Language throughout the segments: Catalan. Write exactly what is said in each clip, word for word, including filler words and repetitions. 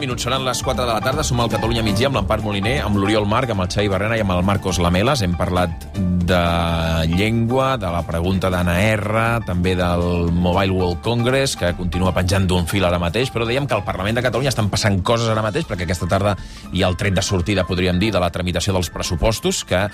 minuts, seran les quatre de la tarda, som al Catalunya Migdia amb l'Empar Moliner, amb l'Oriol Marc, amb el Xavi Barrena i amb el Marcos Lamelas. Hem parlat de llengua, de la pregunta d'Anna R, també del Mobile World Congress, que continua penjant d'un fil ara mateix, però dèiem que al Parlament de Catalunya estan passant coses ara mateix, perquè aquesta tarda hi ha el tret de sortida, podríem dir, de la tramitació dels pressupostos, que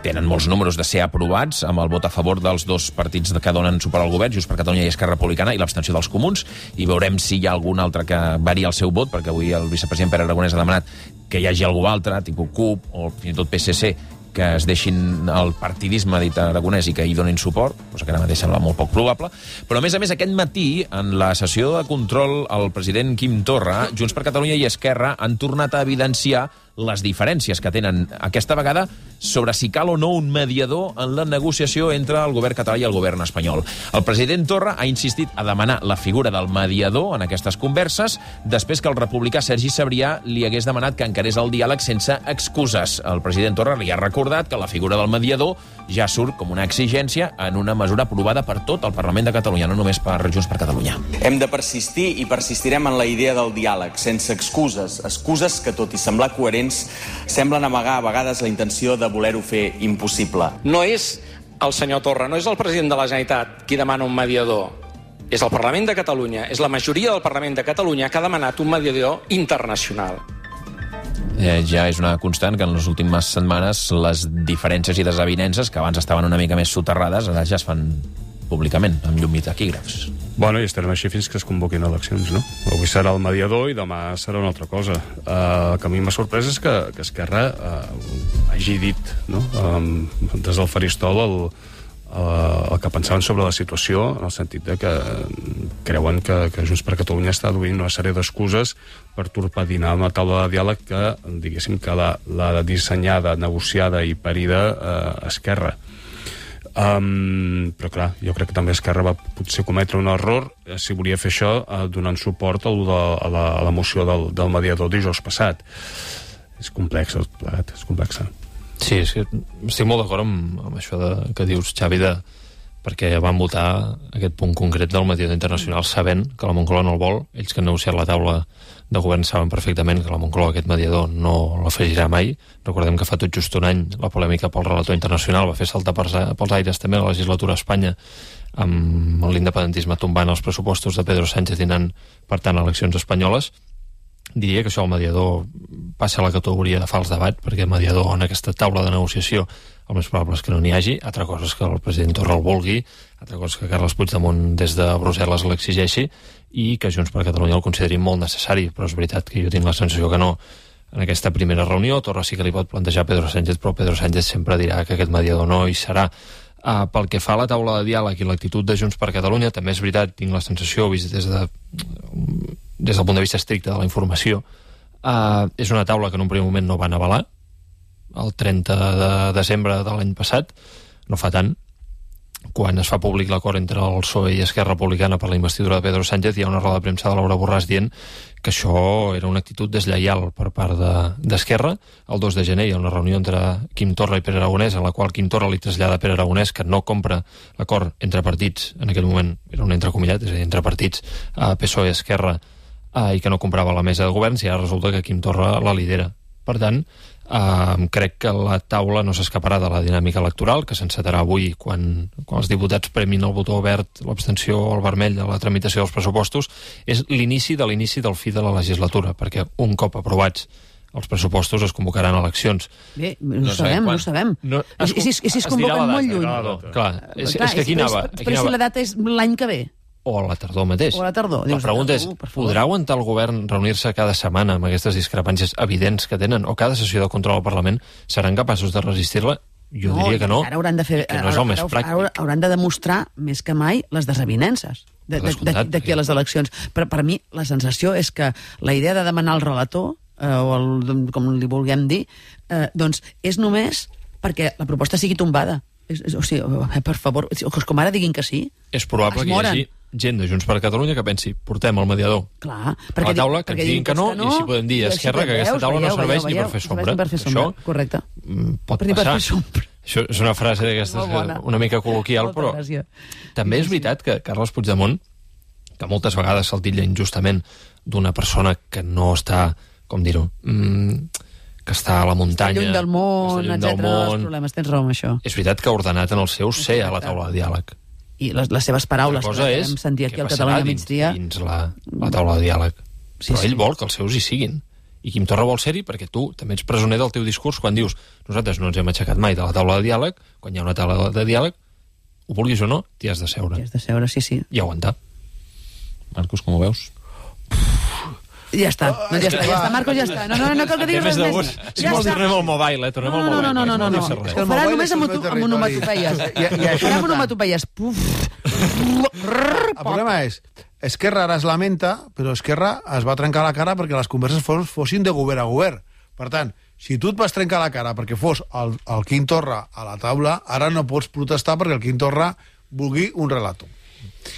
tenen molts números de ser aprovats, amb el vot a favor dels dos partits que donen suport al govern, Junts per Catalunya i Esquerra Republicana, i l'abstenció dels comuns, i veurem si hi ha algun altre que varia el seu vot, perquè avui el vicepresident Pere Aragonès ha demanat que hi hagi algú altre, tipus CUP o fins i tot P S C, que es deixin el partidisme, dit Aragonès, i que hi donin suport, cosa que ara mateix sembla molt poc probable. Però, a més a més, aquest matí, en la sessió de control, el president Quim Torra, Junts per Catalunya i Esquerra han tornat a evidenciar les diferències que tenen aquesta vegada sobre si cal o no un mediador en la negociació entre el govern català i el govern espanyol. El president Torra ha insistit a demanar la figura del mediador en aquestes converses després que el republicà Sergi Sabrià li hagués demanat que encarés el diàleg sense excuses. El president Torra li ha recordat que la figura del mediador ja surt com una exigència en una mesura aprovada per tot el Parlament de Catalunya, no només per Junts per Catalunya. Hem de persistir i persistirem en la idea del diàleg, sense excuses. Excuses que, tot i semblar coherents, semblen amagar a vegades la intenció de voler-ho fer impossible. No és el senyor Torra, no és el president de la Generalitat qui demana un mediador. És el Parlament de Catalunya, és la majoria del Parlament de Catalunya que ha demanat un mediador internacional. Eh, ja és una constant que en les últimes setmanes les diferències i desavinences, que abans estaven una mica més soterrades, ara ja es fan públicament, amb llum i taquígrafs. Bueno, i estarem així fins que es convoquin eleccions, no? Avui serà el mediador i demà serà una altra cosa. Uh, el que a mi m'ha sorprès és que, que Esquerra uh, hagi dit, no? Um, des del faristol el, uh, el que pensaven sobre la situació, en el sentit de que creuen que, que Junts per Catalunya està duint una sèrie d'excuses per torpedinar una taula de diàleg que, diguéssim, que l'ha dissenyada, negociada i parida uh, Esquerra. Um, però clar, jo crec que també Esquerra va potser cometre un error eh, si volia fer això eh, donant suport a la, a la, a la moció del, del mediador dijous passat. És complex, plegat, és complexa. Sí, és que estic molt d'acord amb, amb això de, que dius, Xavi, de, perquè van votar aquest punt concret del mediador internacional sabent que la Moncloa no el vol. Ells que han negociat la taula de govern saben perfectament que la Moncloa aquest mediador no l'afegirà mai. Recordem que fa tot just un any la polèmica pel relator internacional va fer saltar pels, pels aires també la legislatura a Espanya amb l'independentisme tombant els pressupostos de Pedro Sánchez i anant, per tant, a eleccions espanyoles. Diria que això el mediador passa a la categoria de fals debat, perquè el mediador en aquesta taula de negociació el més probable és que no n'hi hagi. Altra cosa és que el president Torra el vulgui, altra cosa és que Carles Puigdemont des de Brussel·les l'exigeixi i que Junts per Catalunya el consideri molt necessari, però és veritat que jo tinc la sensació que no. En aquesta primera reunió Torra sí que li pot plantejar a Pedro Sánchez, però Pedro Sánchez sempre dirà que aquest mediador no hi serà. Uh, pel que fa a la taula de diàleg i l'actitud de Junts per Catalunya, també és veritat, tinc la sensació, vist des, de, des del punt de vista estricte de la informació, uh, és una taula que en un primer moment no van avalar, el trenta de desembre de l'any passat, no fa tant, quan es fa públic l'acord entre el P S O E i Esquerra Republicana per la investidura de Pedro Sánchez, hi ha una roda de premsa de Laura Borràs dient que això era una actitud deslleial per part d'Esquerra. De, el dos de gener hi ha una reunió entre Quim Torra i Pere Aragonès, en la qual Quim Torra li trasllada a Pere Aragonès que no compra l'acord entre partits, en aquell moment era un entrecomillat, és a dir, entre partits, a P S O E i Esquerra, eh, i que no comprava la mesa de governs, i ara resulta que Quim Torra la lidera. Per tant, Uh, crec que la taula no s'escaparà de la dinàmica electoral, que s'encetarà avui quan, quan els diputats premin el botó verd, l'abstenció o el vermell de la tramitació dels pressupostos. És l'inici de l'inici del fi de la legislatura, perquè un cop aprovats els pressupostos es convocaran eleccions. Bé, no, no sabem, no ho sabem. No, es, I si es, es, es convoquen molt lluny? No, clar, és, clar, és que aquí anava... Però, però si la data és l'any que ve? O a la tardor mateix. O a la tardor. La pregunta és, podrà aguantar el govern reunir-se cada setmana amb aquestes discrepàncies evidents que tenen, o cada sessió de control al Parlament seran capaços de resistir-la? Jo no, diria que no, ara hauran de fer, que no és el més pràctic. Hauran de demostrar més que mai les desavinences d'aquí a les eleccions. Però per mi la sensació és que la idea de demanar el relator, eh, o el, com li vulguem dir, eh, doncs és només perquè la proposta sigui tombada. És, és, o sigui, per favor, com ara diguin que sí. És probable que hi hagi gent de Junts per Catalunya que pensi, portem el mediador Clar, a la taula, que ens diguin que no, que no, i si podem dir a Esquerra que aquesta taula no serveix ni per fer sombra. Per fer sombra. Això correcte. pot per passar. Per Això és una frase d'aquestes una mica col·loquial, però també és veritat que Carles Puigdemont, que moltes vegades se'l titlla injustament d'una persona que no està, com dir-ho, mm, que està a la muntanya... Està lluny del món, etcètera, dels problemes. Tens raó amb això. És veritat que ha ordenat en els seus ser a la taula de diàleg. I les, les seves paraules, que vam sentir aquí al Catalunya a migdia... Dins la, la taula de diàleg. Sí, Però ell sí. vol que els seus hi siguin. I Quim Torra vol ser-hi perquè tu també ets presoner del teu discurs quan dius nosaltres no ens hem aixecat mai de la taula de diàleg, quan hi ha una taula de diàleg, ho vulguis o no, t'hi has de seure. T'hi has de seure, sí, sí. I aguantar. Marcos, com ho veus? Ja està, no, ja està, ja està, Marcos, ja està. No, no, no cal que diguis res més. Ja està. Tornem al mobile, eh? Tornem al mobile. No, no, no, no, no. Ho farà només amb onomatopeies. Ho farà amb onomatopeies. El problema és, Esquerra ara es lamenta, però Esquerra es va trencar la cara perquè les converses fossin de govern a govern. Per tant, si tu et vas trencar la cara perquè fos el, el Quim Torra a la taula, ara no pots protestar perquè el Quim Torra vulgui un relator.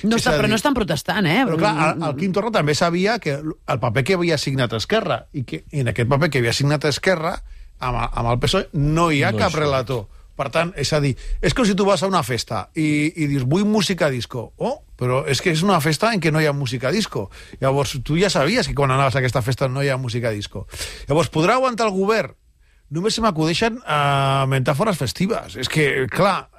No està, però no estan protestant, eh? Però clar, el, el Quim Torra també sabia que el paper que havia signat Esquerra, i que en aquest paper que havia signat Esquerra, amb, amb el P S O E no hi ha no cap relator. Per tant, és a dir, és com si tu vas a una festa i, i dius, vull música disco. Oh, però és que és una festa en què no hi ha música disco. Llavors, tu ja sabies que quan anaves a aquesta festa no hi ha música disco. Llavors, podrà aguantar el govern? Només se m'acudeixen uh, metàfores festives. És que, clar,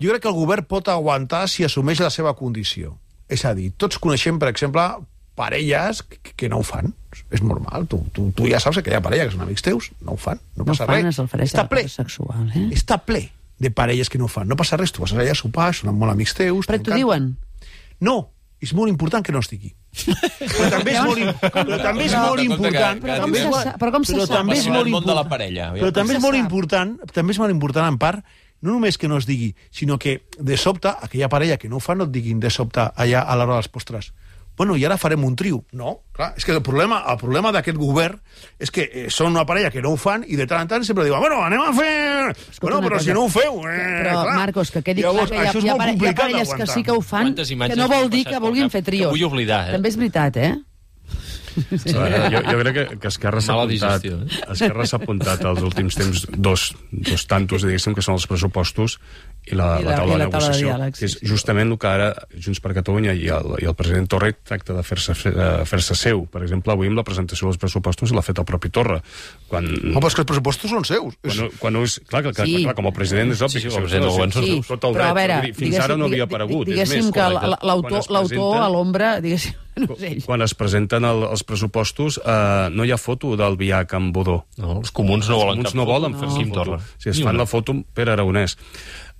jo crec que el govern pot aguantar si assumeix la seva condició. És a dir, tots coneixem, per exemple, parelles que, que no ho fan. És normal. Tu, tu, tu ja saps que hi ha parelles que són amics teus, no ho fan, no, no passa fan, res. Està ple. Sexual, eh? Està ple de parelles que no ho fan. No passa res, tu vas allà a sopar, són molt amics teus. Però t'ho diuen? No, és molt important que no estigui. Però també és molt, però també és molt important... Però com se sap? Però com se sap? També és molt important... de la parella. Però també és molt important, també és molt important, en part, no només que no es digui, sinó que de sobte, aquella parella que no ho fa no et diguin de sobte allà a l'hora dels postres. Bueno, i ara farem un trio. No, clar, és que el problema, el problema d'aquest govern és que eh, són una parella que no ho fan i de tant en tant sempre diuen, bueno, anem a fer... Escolta, bueno, però cosa. Si no ho feu... Eh, però, clar. Marcos, que quedi clar que hi ha, hi ha, hi ha parelles que sí que ho fan, que no vol dir que vulguin fer trios. Vull oblidar, eh? També és veritat, eh? Sí. Veure, jo, jo crec que, que Esquerra s'ha apuntat, eh? Esquerra s'ha apuntat als últims temps dos, dos tantos, diguéssim, que són els pressupostos i la, I la, la taula i la de negociació, taula de diàleg, que és justament el que ara Junts per Catalunya i el, i el president Torra tracta de fer-se fer seu. Per exemple, avui amb la presentació dels pressupostos l'ha fet el propi Torra. Quan... No, però és que els pressupostos són seus. Quan, quan és, clar, clar, sí. clar, com a president és obvi. Sí, sí, que el president del govern són seus. Tot el dret, però a veure, fins ara no havia aparegut. Diguéssim que l'autor a l'ombra, diguéssim, no és ell. Quan es presenten el, els pressupostos eh, no hi ha foto del Viac amb Budó. No, els comuns no volen, els comuns no volen fer no. foto. Si es fan la foto per Aragonès.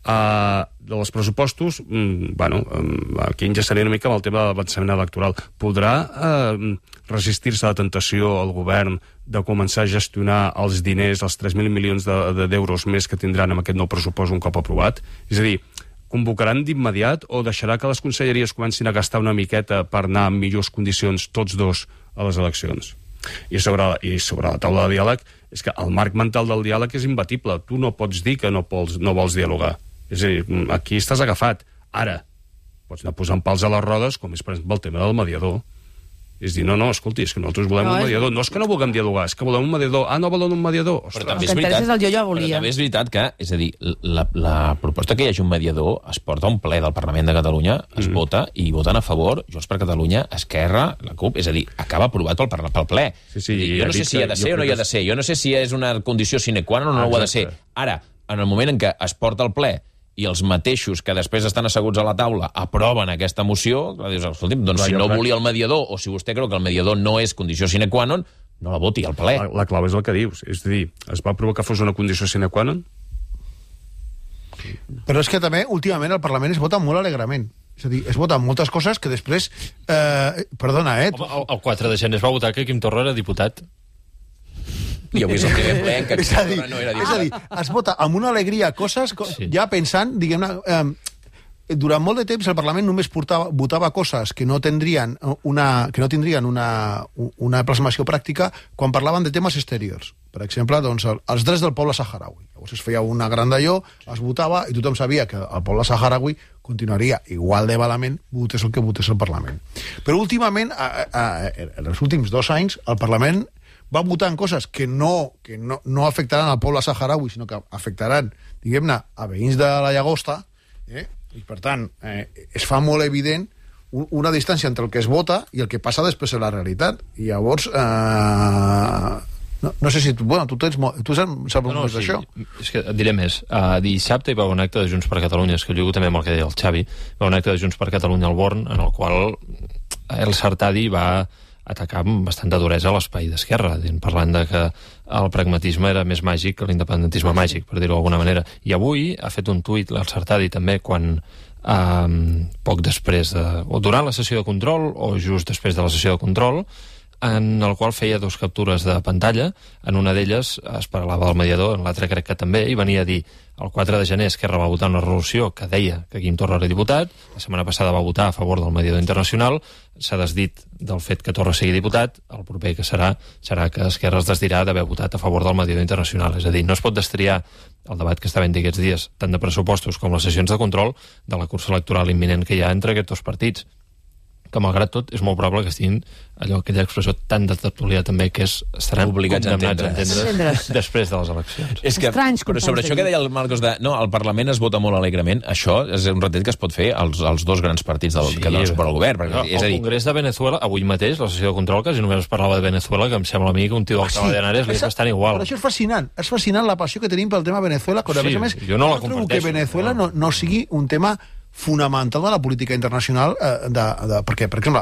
Uh, dels pressupostos, mm, bueno, um, aquí enllaçaré una mica amb el tema de l'avançament electoral. Podrà uh, resistir-se a la tentació al govern de començar a gestionar els diners, els tres mil milions d'euros de, de, més que tindran amb aquest nou pressupost un cop aprovat? És a dir, convocaran d'immediat o deixarà que les conselleries comencin a gastar una miqueta per anar en millors condicions tots dos a les eleccions? I sobre, i sobre la taula de diàleg, és que el marc mental del diàleg és imbatible. Tu no pots dir que no, pols, no vols dialogar. És a dir, aquí estàs agafat. Ara, pots anar posant pals a les rodes, com és, per exemple, el tema del mediador. És dir, no, no, escolti, és que nosaltres volem no, un mediador. No és que no vulguem dialogar, és que volem un mediador. Ah, no volen un mediador? Ostres. Però també és veritat, és el jo, jo volia. Però també és veritat que, és a dir, la, la proposta que hi hagi un mediador es porta a un ple del Parlament de Catalunya, es mm. vota, i voten a favor Junts per Catalunya, Esquerra, la CUP, és a dir, acaba aprovat pel, pel ple. Sí, sí, dir, jo no sé si hi ha de ser o no hi ha de ser, jo no sé si és una condició sine qua non o no ho ha de ser. Ara, en el moment en què es porta al ple i els mateixos que després estan asseguts a la taula aproven aquesta moció, dius, escolti'm, doncs si no volia el mediador, o si vostè creu que el mediador no és condició sine qua non, no la voti al ple. La, la clau és el que dius. És a dir, es va aprovar que fos una condició sine qua non? Però és que també, últimament, el Parlament es vota molt alegrament. És a dir, es voten moltes coses que després... Eh, perdona, eh? Home, el, el quatre de gener es va votar que Quim Torra era diputat. I avui és el primer ple en què és a dir, no era diputat. És a dir, es vota amb una alegria coses, sí. ja pensant, diguem-ne, eh, durant molt de temps el Parlament només portava, votava coses que no tindrien una, que no tindrien una, una plasmació pràctica quan parlaven de temes exteriors. Per exemple, doncs, els drets del poble saharaui. Llavors es feia una gran d'allò, es votava, i tothom sabia que el poble saharaui continuaria igual de malament, votés el que votés el Parlament. Però últimament, a, a, en els últims dos anys, el Parlament va votar en coses que no, que no, no afectaran al poble saharaui, sinó que afectaran, diguem-ne, a veïns de la Llagosta, eh? I per tant, eh, es fa molt evident una distància entre el que es vota i el que passa després en la realitat. I llavors... Eh, no, no sé si... Tu, bueno, tu, tens, tu saps no, no, més sí, d'això? És que et diré més. Uh, dissabte hi va un acte de Junts per Catalunya, és que lligo també amb el que deia el Xavi, hi va un acte de Junts per Catalunya al Born, en el qual el Sartadi va atacar amb bastanta duresa l'espai d'Esquerra, parlant de que el pragmatisme era més màgic que l'independentisme màgic, per dir-ho d'alguna manera. I avui ha fet un tuit el Sartadi també quan eh, poc després de... o durant la sessió de control o just després de la sessió de control, en el qual feia dos captures de pantalla. En una d'elles es parlava del mediador, en l'altra crec que també, i venia a dir el quatre de gener Esquerra va votar una resolució que deia que Quim Torra era diputat, la setmana passada va votar a favor del mediador internacional, s'ha desdit del fet que Torra sigui diputat, el proper que serà serà que Esquerra es desdirà d'haver votat a favor del mediador internacional. És a dir, no es pot destriar el debat que està havent aquests dies, tant de pressupostos com les sessions de control, de la cursa electoral imminent que hi ha entre aquests dos partits, que malgrat tot és molt probable que estiguin allò, aquella expressió tan de tertulià també, que és estaran obligats condemnats a entendre. entendre després de les eleccions. És que, però sobre això que deia el Marcos de no, el Parlament es vota molt alegrement, això és un retret que es pot fer als, als dos grans partits del, sí, que donen suport al govern. Perquè, no, és a dir... El Congrés de Venezuela, avui mateix, la sessió de control, que si només es parlava de Venezuela, que em sembla a mi que un tio d'Alcalá de Henares li és bastant igual. Però això és fascinant, és fascinant la passió que tenim pel tema Venezuela, quan sí, a més a més jo no la trobo que Venezuela no, no sigui un tema fonamental de la política internacional, eh, de, de, perquè, per exemple,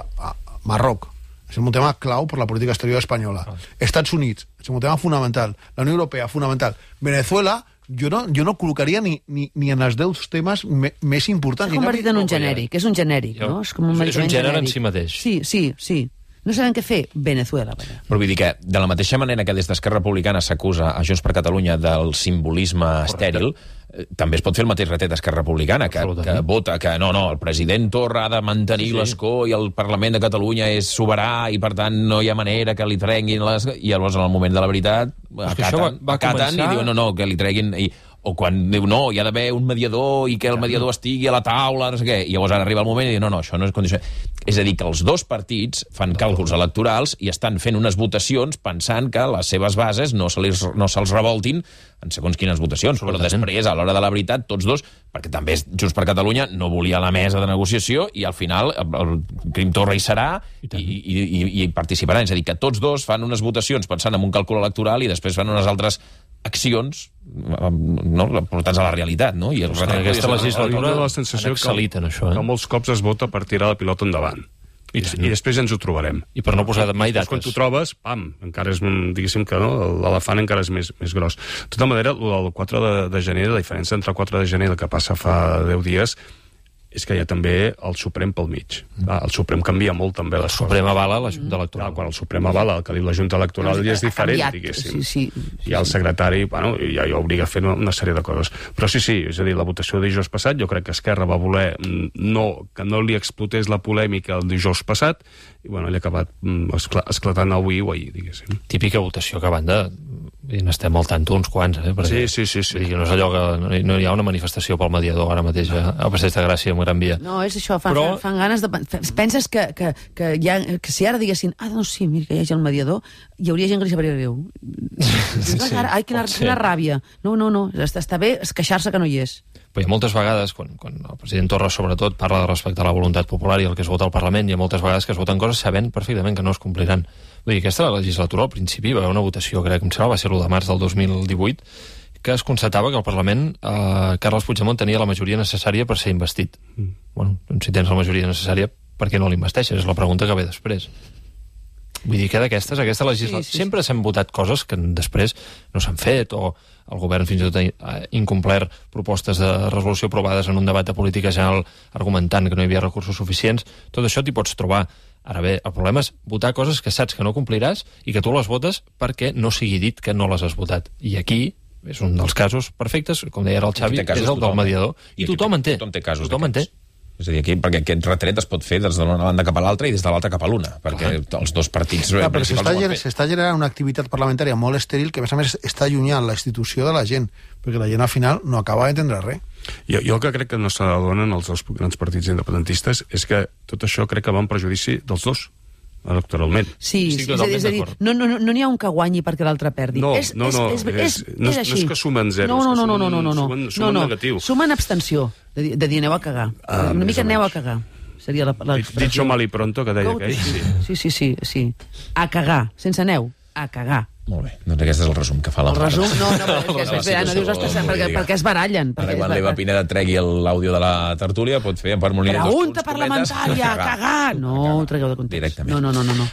Marroc és un tema clau per la política exterior espanyola. Ah. Estats Units és un tema fonamental. La Unió Europea, fonamental. Venezuela, jo no, jo no col·locaria ni, ni, ni en els deu temes me, més importants. S'ha convertit en un genèric, és un genèric, jo, no? És, com un és un gènere genèric. En si mateix. Sí, sí, sí. No sabem què fer, Venezuela. Però vull dir que, de la mateixa manera que des d'Esquerra Republicana s'acusa a Junts per Catalunya del simbolisme estèril, eh, també es pot fer el mateix retret d'Esquerra Republicana, que, que vota que no, no, el president Torra ha de mantenir sí, sí. l'escó i el Parlament de Catalunya és soberà i, per tant, no hi ha manera que li treguin les... I llavors, en el moment de la veritat, acaten, va, va acaten començar... i diuen no, no, que li treguin... I... O quan diu, no, hi ha d'haver un mediador i que el mediador estigui a la taula, no sé què, i llavors ara arriba el moment i diu, no, no, això no és condició. És a dir, que els dos partits fan càlculs electorals i estan fent unes votacions pensant que les seves bases no se'ls no se revoltin en segons quines votacions, però després, a l'hora de la veritat, tots dos, perquè també Junts per Catalunya no volia la mesa de negociació i al final el Quim Torra hi serà i, i, i, i participaran. És a dir, que tots dos fan unes votacions pensant en un càlcul electoral i després fan unes altres accions no, portats a la realitat, no? I el en aquesta legislatura la sensació que, en això, eh? que molts cops es vota per tirar la pilota endavant. I, sí. I després ja ens ho trobarem. I per no posar mai dates. Quan t'ho trobes, pam, encara és, diguéssim que no, l'elefant encara és més, més gros. De tota manera, el quatre de gener, la diferència entre el quatre de gener i el que passa fa deu dies, és que hi ha també el Suprem pel mig. Mm. El Suprem canvia molt també les coses. El Suprem avala la Junta Electoral. Clar, quan el Suprem avala el que diu la Junta Electoral ja és diferent, diguéssim. Sí, sí, sí. I el secretari, bueno, ja, ja obliga a fer una, una sèrie de coses. Però sí, sí, és a dir, la votació de dijous passat, jo crec que Esquerra va voler no, que no li explotés la polèmica el dijous passat, i bueno, ell ha acabat escl esclatant avui o ahir, diguéssim. Típica votació que a banda n'estem al tanto uns quants, eh? Perquè, sí, sí, sí. sí. No és allò que no, no hi ha una manifestació pel mediador ara mateix a Passeig de Gràcia, amb Gran Via. No, és això, fan, Però... fan, fan ganes de... Penses que, que, que, ha, que si ara diguessin, ah, no, sí, mira que hi hagi el mediador, hi hauria gent que li sabria greu. Sí, sí, ai, quina, quina ràbia. No, no, no, està, està bé queixar-se que no hi és. Però hi ha moltes vegades, quan, quan el president Torra sobretot parla de respecte a la voluntat popular i el que es vota al Parlament, hi ha moltes vegades que es voten coses sabent perfectament que no es compliran. Vull dir, aquesta legislatura al principi va haver una votació, crec que em sembla, va ser l'u de març del dos mil divuit, que es constatava que el Parlament, eh, Carles Puigdemont tenia la majoria necessària per ser investit. Mm. Bueno, doncs si tens la majoria necessària, per què no l'investeixes? És la pregunta que ve després. Vull dir que d'aquestes, aquesta legislatura... Sí, sí, sí. Sempre s'han votat coses que després no s'han fet, o el govern fins i tot ha incomplert propostes de resolució aprovades en un debat de política general argumentant que no hi havia recursos suficients. Tot això t'hi pots trobar. Ara bé, el problema és votar coses que saps que no compliràs i que tu les votes perquè no sigui dit que no les has votat. I aquí és un dels casos perfectes, com deia ara el Xavi, és el del mediador. I, I tothom en té. Tothom té casos tothom en té. És a dir, aquí, perquè aquest retret es pot fer des de l'una banda cap a l'altra i des de l'altra cap a l'una, perquè Clar. els dos partits... Clar, però s'està generant una activitat parlamentària molt estèril que, a més a més, està allunyant la institució de la gent, perquè la gent, al final, no acaba d'entendre res. Jo, jo el que crec que no s'adonen els dos grans partits independentistes és que tot això crec que va en perjudici dels dos, electoralment. Sí, sí, és a dir, és a dir no n'hi no, no ha un que guanyi perquè l'altre perdi. No, és, no, no, és, és, és, és, no, és així. No és que sumen zeros, no, no, no, que no, no, no, no, sumen, sumen no, no. negatiu. Sumen abstenció, de, de dir aneu a cagar. Ah, una mica aneu a cagar. seria l'expressió. Dicho mal y pronto, que deia aquell. Sí, sí, sí, sí. A cagar, sense neu, a cagar. Molt bé, doncs aquest és el resum que fa la El resum, no, no, perquè és, és, és, no dius, ostres, perquè, perquè es barallen. Ara, quan l'Eva Pineda tregui l'àudio de la tertúlia, pot fer per Moliner. Pregunta parlamentària, cagar! No, ho tragueu de context. Directament. No, no, no, no.